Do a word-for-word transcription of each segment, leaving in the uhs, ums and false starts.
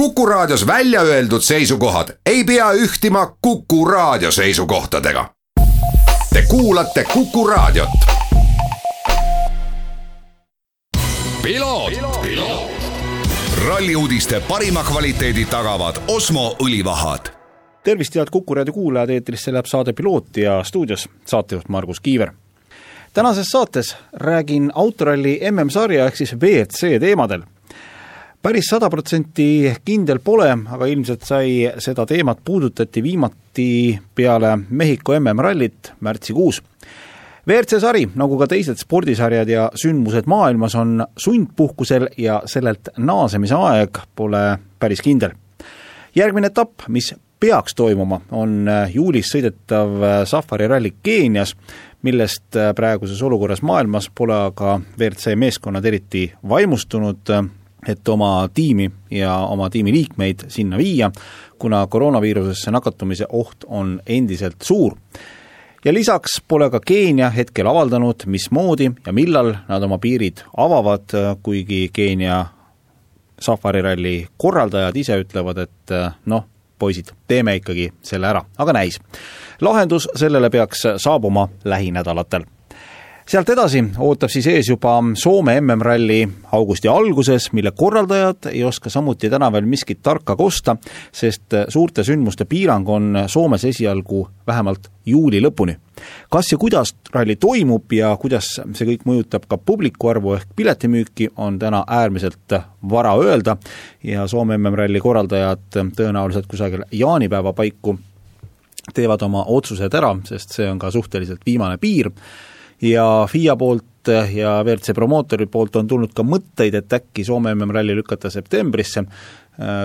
Kuku Raadios välja öeldud seisukohad ei pea ühtima Kuku Raadio seisukohtadega. Te kuulate Kuku Raadiot. Piloot, Piloot. Ralliuudiste parima kvaliteedi tagavad Osmo õlivahad. Tervist, head Kuku Raadio kuulajad, eetrisse läheb saade Piloot ja stuudios saatejuht Margus Kiiver. Tänases saates räägin autoralli M M-sarja ehk siis V R C teemadel. Päris sada protsenti kindel pole, aga ilmselt sai seda teemat puudutati viimati peale Mehhiko M M-rallit märtsikuus. V R C sari, nagu ka teised spordisarjad ja sündmused maailmas, on sundpuhkusel ja sellelt naasemise aeg pole päris kindel. Järgmine etapp, mis peaks toimuma, on juulis sõidetav Safari ralli Keenias, millest praeguses olukorras maailmas pole aga V R C meeskonnad eriti vaimustunud, et oma tiimi ja oma tiimi liikmeid sinna viia, kuna koroonaviirusesse nakatumise oht on endiselt suur. Ja lisaks pole ka Keenia hetkel avaldanud, mismoodi ja millal nad oma piirid avavad, kuigi Keenia Safari ralli korraldajad ise ütlevad, et noh, poisid, teeme ikkagi selle ära, aga näis. Lahendus sellele peaks saabuma lähinädalatel. Sealt edasi ootab siis ees juba Soome M M-ralli augusti alguses, mille korraldajad ei oska samuti täna veel miskit tarka kosta, sest suurte sündmuste piirang on Soomes esialgu vähemalt juuli lõpuni. Kas ja kuidas ralli toimub ja kuidas see kõik mõjutab ka publiku arvu ehk piletimüüki, on täna äärmiselt vara öelda ja Soome M M-ralli korraldajad tõenäoliselt kusagil jaanipäeva paiku teevad oma otsused ära, sest see on ka suhteliselt viimane piir. Ja F I A poolt ja V R C promootori poolt on tulnud ka mõtteid, et äkki Soome M M-ralli lükata septembrisse.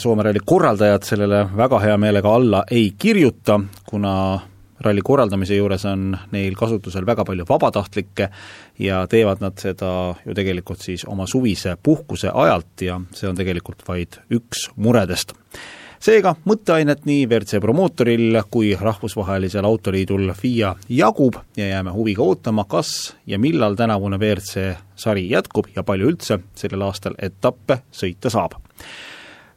Soome ralli korraldajad sellele väga hea meelega alla ei kirjuta, kuna ralli korraldamise juures on neil kasutusel väga palju vabatahtlikke ja teevad nad seda ju tegelikult siis oma suvise puhkuse ajalt ja see on tegelikult vaid üks muredest. Seega mõtteainet nii V R C promootoril kui rahvusvahelisel autoliidul F I A jagub ja jääme huviga ootama, kas ja millal tänavune V R C sari jätkub ja palju üldse sellel aastal etappe sõita saab.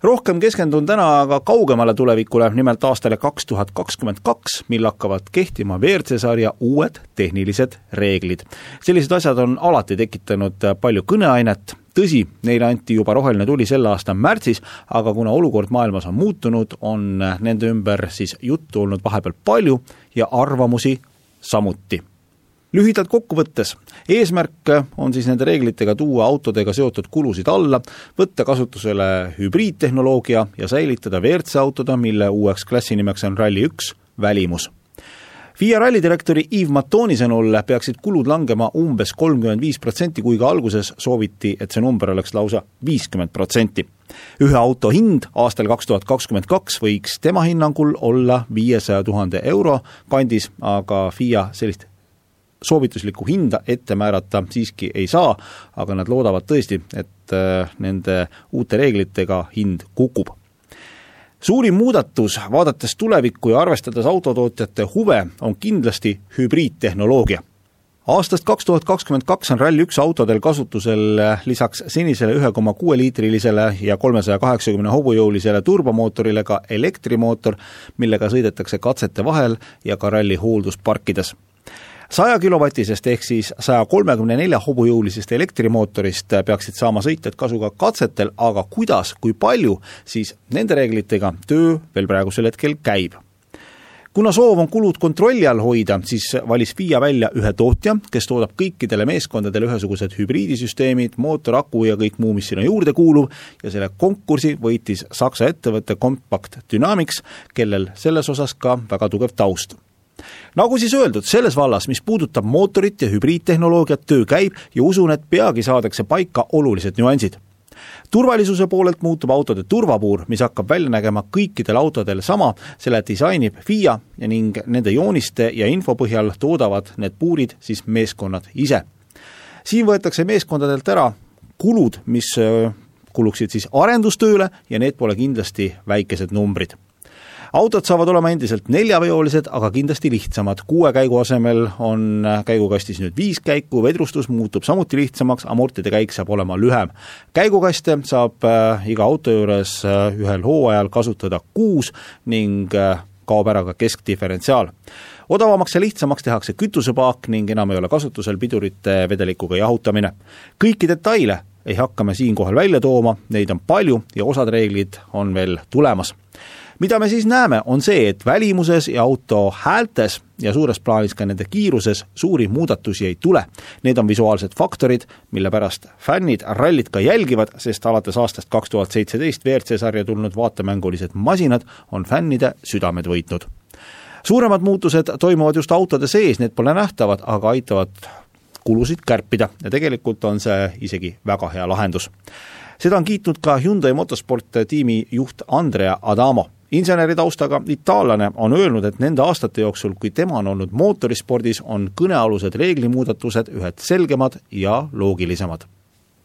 Rohkem keskendun täna aga kaugemale tulevikule, nimelt aastale kaks tuhat kakskümmend kaks, mil hakkavad kehtima V R C sarja uued tehnilised reeglid. Sellised asjad on alati tekitanud palju kõneainet. Tõsi, neile anti juba roheline tuli selle aasta märtsis, aga kuna olukord maailmas on muutunud, on nende ümber siis juttu olnud vahepeal palju ja arvamusi samuti. Lühidalt kokku võttes, eesmärk on siis nende reeglitega tuua autodega seotud kulusid alla, võtta kasutusele hübriidtehnoloogia ja säilitada V R C autoda, mille uueks klassinimeks on Rally üks välimus. F I A rallidirektori Yves Matoni sõnul peaksid kulud langema umbes kolmkümmend viis protsenti, kui ka alguses sooviti, et see number oleks lausa viiskümmend protsenti. Ühe auto hind aastal kaks tuhat kakskümmend kaks võiks tema hinnangul olla viiesaja tuhande euro kandis, aga F I A sellist soovituslikku hinda ette määrata siiski ei saa, aga nad loodavad tõesti, et nende uute reeglitega hind kukub. Suurim muudatus, vaadates tulevikku ja arvestades autotootjate huve, on kindlasti hübriidtehnoloogia. Aastast kaks tuhat kakskümmend kaks on Rally üks autodel kasutusel lisaks senisele ühe koma kuue liitrilisele ja kolmesaja kaheksakümne hobujõulisele turbomootorile ka elektrimootor, millega sõidetakse katsete vahel ja ka ralli hooldusparkides. saja kilovatisest ehk siis saja kolmekümne nelja hobujõulisest elektrimootorist peaksid saama sõitjad kasu ka katsetel, aga kuidas, kui palju, siis nende reeglitega töö veel praegusel hetkel käib. Kuna soov on kulud kontrolli all hoida, siis valis F I A välja ühe tootja, kes toodab kõikidele meeskondadele ühesugused hübriidisüsteemid, mootor, aku ja kõik muu, mis sinna juurde kuulub, ja selle konkursi võitis Saksa ettevõtte Compact Dynamics, kellel selles osas ka väga tugev taust. Nagu siis öeldud, selles vallas, mis puudutab mootorit ja hübriidtehnoloogiat, töö käib ja usun, et peagi saadakse paika olulised nüansid. Turvalisuse poolelt muutub autode turvapuur, mis hakkab välja nägema kõikidel autodel sama, selle disainib F I A ja ning nende jooniste ja info põhjal toodavad need puurid siis meeskonnad ise. Siin võetakse meeskondadelt ära kulud, mis kuluksid siis arendustööle ja need pole kindlasti väikesed numbrid. Autod saavad olema endiselt neljaveolised, aga kindlasti lihtsamad. Kuue käigu asemel on käigukastis nüüd viis käiku, vedrustus muutub samuti lihtsamaks, amortide käik saab olema lühem. Käigukaste saab iga auto juures ühel hooajal kasutada kuus ning kaob ära ka keskdiferentsiaal. Odavamaks ja lihtsamaks tehakse kütusepaak ning enam ei ole kasutusel pidurite vedelikuga jahutamine. Kõiki detaile ei hakka me siinkohal välja tooma, neid on palju ja osad reeglid on veel tulemas. Mida me siis näeme, on see, et välimuses ja auto häältes ja suures plaanis ka nende kiiruses suuri muudatusi ei tule. Need on visuaalsed faktorid, mille pärast fännid rallit ka jälgivad, sest alates aastast kaks tuhat seitseteist V R C sarja tulnud vaatemängulised masinad on fännide südamed võitnud. Suuremad muutused toimuvad just autode sees, need pole nähtavad, aga aitavad kulusid kärpida ja tegelikult on see isegi väga hea lahendus. Seda on kiitnud ka Hyundai Motorsport tiimi juht Andrea Adamo. Inseneri taustaga itaallane on öelnud, et nende aastate jooksul, kui tema on olnud mootorispordis, on kõnealused reeglimuudatused ühed selgemad ja loogilisemad.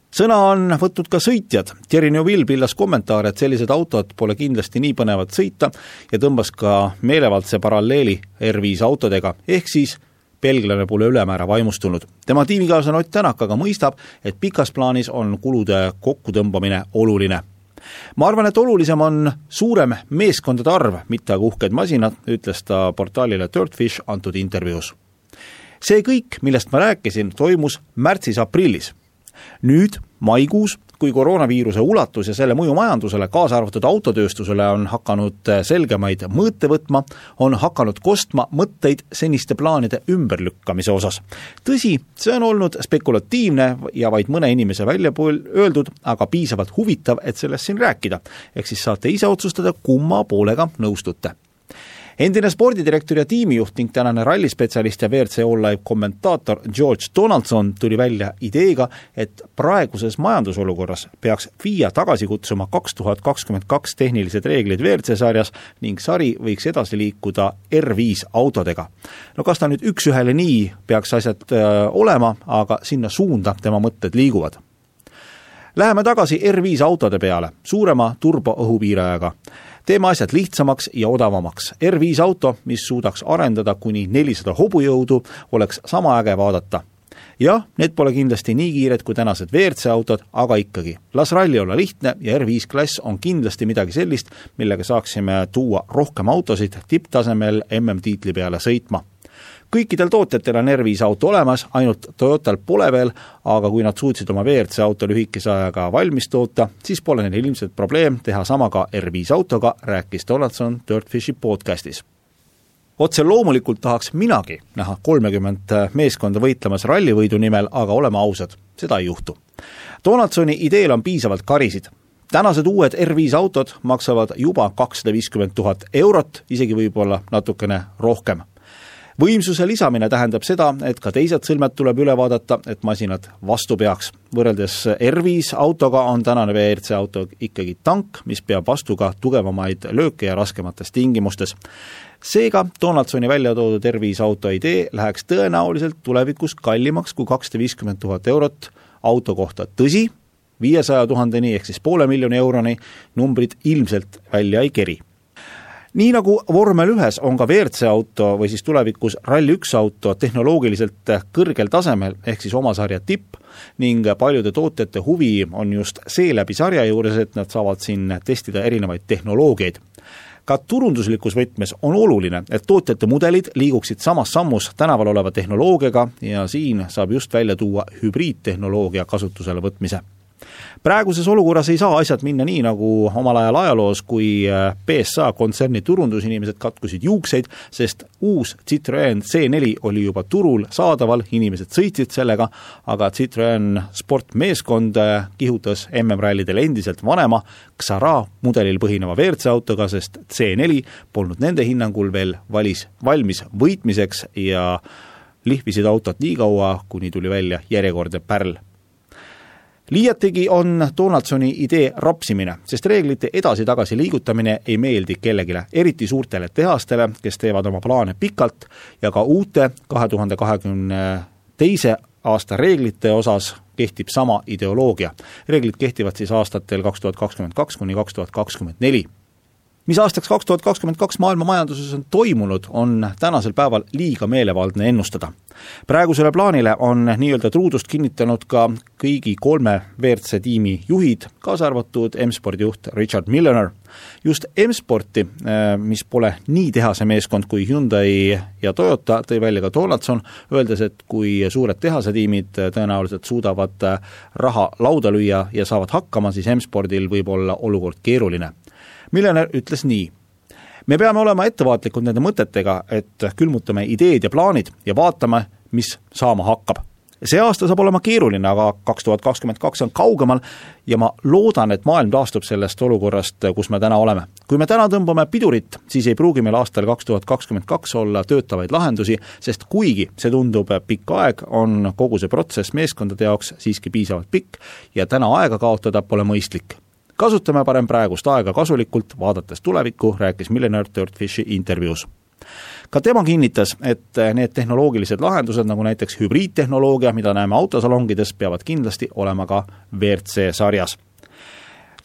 Sõna on võtnud ka sõitjad. Thierry Neuville pillas kommentaar, et sellised autod pole kindlasti nii põnevad sõita ja tõmbas ka meelevaldse paralleeli R viis autodega, ehk siis belglane pole ülemäära vaimustunud. Tema tiimikaaslane Ott Tänak aga mõistab, et pikas plaanis on kulude kokkutõmbamine oluline. Ma arvan, et olulisem on suurem meeskondade arv, mitte aga uhked masinad, ütles ta portaalile Dirtfish antud intervjuus. See kõik, millest ma rääkisin, toimus märtsis-aprillis. Nüüd, maikuus, kui koroonaviiruse ulatus ja selle mõju majandusele, kaasa arvatud autotööstusele on hakanud selgemaid mõõte võtma, on hakanud kostma mõtteid seniste plaanide ümberlükkamise osas. Tõsi, see on olnud spekulatiivne ja vaid mõne inimese välja öeldud, aga piisavalt huvitav, et sellest siin rääkida. Ehk siis saate ise otsustada, kumma poolega nõustute. Endine spordidirektor ja tiimijuht ning tänane rallispetsialist ja V R C All Live kommentaator George Donaldson tuli välja ideega, et praeguses majandusolukorras peaks F I A tagasi kutsuma kaks tuhat kakskümmend kaks tehnilised reeglid V R C sarjas ning sari võiks edasi liikuda R viis autodega. No kas ta nüüd üks ühele nii peaks asjad öö, olema, aga sinna suunda tema mõtted liiguvad. Läheme tagasi R viis autode peale, suurema turboõhupiirajaga. Teeme asjad lihtsamaks ja odavamaks. R viis auto, mis suudaks arendada kuni nelisada hobujõudu, oleks sama äge vaadata. Jah, need pole kindlasti nii kiired kui tänased V R C autod, aga ikkagi. Las ralli olla lihtne ja R viis klass on kindlasti midagi sellist, millega saaksime tuua rohkem autosid tipptasemel M M-tiitli peale sõitma. Kõikidel tootjatel on R viis auto olemas, ainult Toyotal pole veel, aga kui nad suutsid oma V R C auto lühikese ajaga valmis toota, siis pole neil ilmselt probleem teha sama ka R viis autoga, rääkis Donaldson Dirtfishi podcastis. Otse loomulikult tahaks minagi näha kolmekümmend meeskonda võitlemas rallivõidu nimel, aga oleme ausad, seda ei juhtu. Donaldsoni ideel on piisavalt karisid. Tänased uued R viis autod maksavad juba kakssada viiskümmend tuhat eurot, isegi võib-olla natukene rohkem. Võimsuse lisamine tähendab seda, et ka teised sõlmed tuleb üle vaadata, et masinad vastu peaks. Võrreldes R viis autoga on tänane V R C auto ikkagi tank, mis peab vastu ka tugevamaid lööke ja raskemates tingimustes. Seega Donaldsoni välja toodud R viis auto idee läheks tõenäoliselt tulevikus kallimaks kui kakssada viiskümmend tuhat eurot auto kohta. Tõsi, viiesaja tuhandeni ehk siis poole miljoni euroni numbrid ilmselt välja ei keri. Nii nagu vormel ühes on ka V R C auto või siis tulevikus Rally üks auto tehnoloogiliselt kõrgel tasemel ehk siis oma sarja tipp ning paljude tootjate huvi on just see läbi sarja juures, et nad saavad siin testida erinevaid tehnoloogiaid. Ka turunduslikus võtmes on oluline, et tootjate mudelid liiguksid samas sammus tänaval oleva tehnoloogiaga ja siin saab just välja tuua hübriidtehnoloogia kasutusele võtmise. Praeguses olukorras ei saa asjad minna nii nagu omal ajal ajaloos, kui B S A kontserni turundusinimesed katkusid juukseid, sest uus Citroen C neli oli juba turul saadaval, inimesed sõitsid sellega, aga Citroen sportmeeskond kihutas M M-rallidel endiselt vanema Xara mudelil põhineva V R C autoga, sest C neli polnud nende hinnangul veel valis, valmis võitmiseks ja lihvisid autot nii kaua, kuni tuli välja järjekordne pärl. Liiatigi on Donaldsoni idee rapsimine, sest reeglite edasi-tagasi liigutamine ei meeldi kellegile, eriti suurtele tehastele, kes teevad oma plaane pikalt ja ka uute kahe tuhande kahekümne teise aasta reeglite osas kehtib sama ideoloogia. Reeglid kehtivad siis aastatel kaks tuhat kakskümmend kaks kuni kaks tuhat kakskümmend neli. Mis aastaks kaks tuhat kakskümmend kaks maailma majanduses on toimunud, on tänasel päeval liiga meelevaldne ennustada. Praegusele plaanile on nii-öelda truudust kinnitanud ka kõigi kolme V R C tiimi juhid, kaasa arvatud M-spordi juht Richard Milner. Just M-sporti, mis pole nii tehase meeskond kui Hyundai ja Toyota, tõi välja ka Donaldson, öeldes, et kui suured tehase tiimid tõenäoliselt suudavad raha lauda lüüa ja saavad hakkama, siis M-spordil võib olla olukord keeruline. Milner ütles nii. Me peame olema ettevaatlikud nende mõtetega, et külmutame ideed ja plaanid ja vaatame, mis saama hakkab. See aasta saab olema keeruline, aga kaks tuhat kakskümmend kaks on kaugemal ja ma loodan, et maailm taastub sellest olukorrast, kus me täna oleme. Kui me täna tõmbame pidurit, siis ei pruugi meil aastal kaks tuhat kakskümmend kaks olla töötavaid lahendusi, sest kuigi see tundub pikk aeg, on kogu see protsess meeskondade jaoks siiski piisavalt pikk ja täna aega kaotada pole mõistlik. Kasutame parem praegust aega kasulikult, vaadates tulevikku, rääkis Milner Dirtfishi intervjuus. Ka tema kinnitas, et need tehnoloogilised lahendused, nagu näiteks hübriidtehnoloogia, mida näeme autosalongides, peavad kindlasti olema ka V R C sarjas.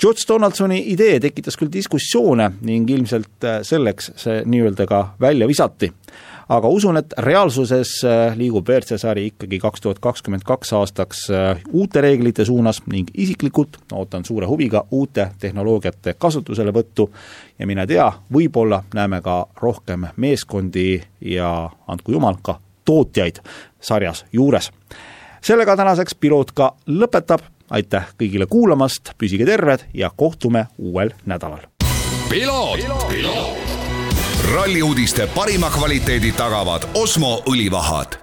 George Donaldsoni idee tekitas küll diskussioone ning ilmselt selleks see nii-öelda ka välja visati. Aga usun, et reaalsuses liigub V R C sari ikkagi kaks tuhat kakskümmend kaks aastaks uute reeglite suunas ning isiklikult ootan suure huviga uute tehnoloogiate kasutusele võttu ja mine tea, võib-olla näeme ka rohkem meeskondi ja andku jumal ka tootjaid sarjas juures. Sellega tänaseks piloot ka lõpetab. Aitäh kõigile kuulamast, püsige terved ja kohtume uuel nädalal. Piloot! Piloot! Ralli uudiste parima kvaliteedi tagavad Osmo õlivahad.